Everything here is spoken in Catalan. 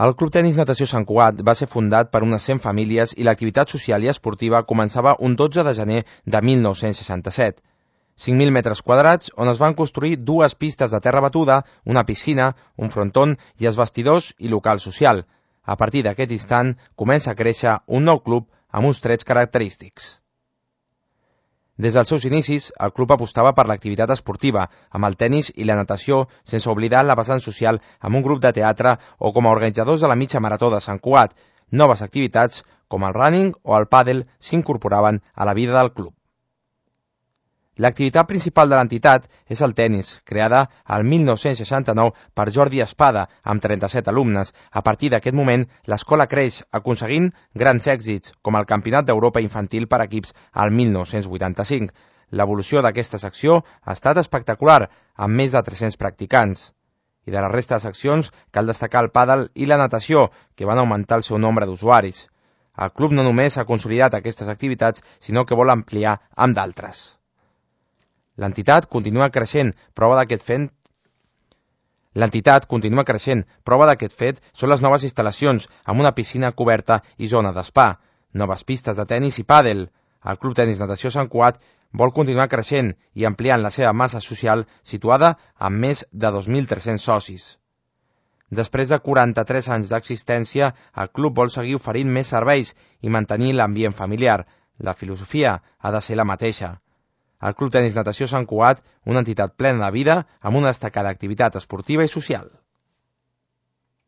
El Club Tenis Natació Sant Cugat va ser fundat per unes 100 famílies i l'activitat social i esportiva començava un 12 de gener de 1967. 5.000 metres quadrats on es van construir 2 pistes de terra batuda, una piscina, un fronton i els vestidors i local social. A partir d'aquest instant comença a créixer un nou club amb uns trets característics. Des dels seus inicis, el club apostava per l'activitat esportiva, amb el tenis i la natació, sense oblidar la vessant social amb un grup de teatre o com a organitzadors de la mitja marató de Sant Cugat. Noves activitats, com el running o el pàdel, s'incorporaven a la vida del club. L'activitat principal de l'entitat és el tenis, creada el 1969 per Jordi Espada, amb 37 alumnes. A partir d'aquest moment, l'escola creix, aconseguint grans èxits, com el Campionat d'Europa Infantil per equips al 1985. L'evolució d'aquesta secció ha estat espectacular, amb més de 300 practicants. I de la resta de seccions cal destacar el pàdel i la natació, que van augmentar el seu nombre d'usuaris. El club no només ha consolidat aquestes activitats, sinó que vol ampliar amb d'altres. L'entitat continua creixent, prova d'aquest fet són les noves instal·lacions, amb una piscina coberta i zona d'espa, noves pistes de tenis i pàdel. El Club Tenis Natació Sant Cugat vol continuar creixent i ampliant la seva massa social, situada amb més de 2.300 socis. Després de 43 anys d'existència, el club vol seguir oferint més serveis i mantenir l'ambient familiar. La filosofia ha de ser la mateixa. El Club Tenis Natació Sant Cugat, una entitat plena de vida amb una destacada activitat esportiva i social.